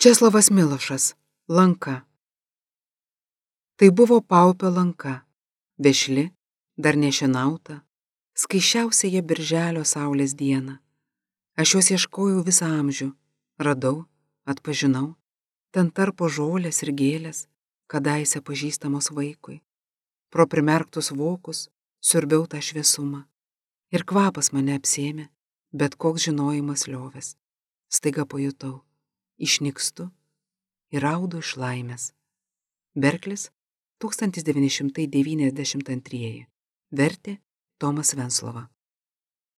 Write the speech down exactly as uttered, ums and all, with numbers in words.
Česlovas Milošas. Lanka. Tai buvo paupio lanka, vešli, dar nešinauta, skaičiausia birželio saulės diena. Aš jos ieškojau visą amžių, radau, atpažinau, ten tarpo žolės ir gėlės, kadaise pažįstamos vaikui. Pro primerktus vokus siurbiau tą šviesumą. Ir kvapas mane apsėmė, bet koks žinojimas liovės. Staiga pajutau, išnykstu ir raudu iš laimės. Berklis, tūkstantis devyni šimtai devyniasdešimt antrieji. Vertė Tomas Venclova.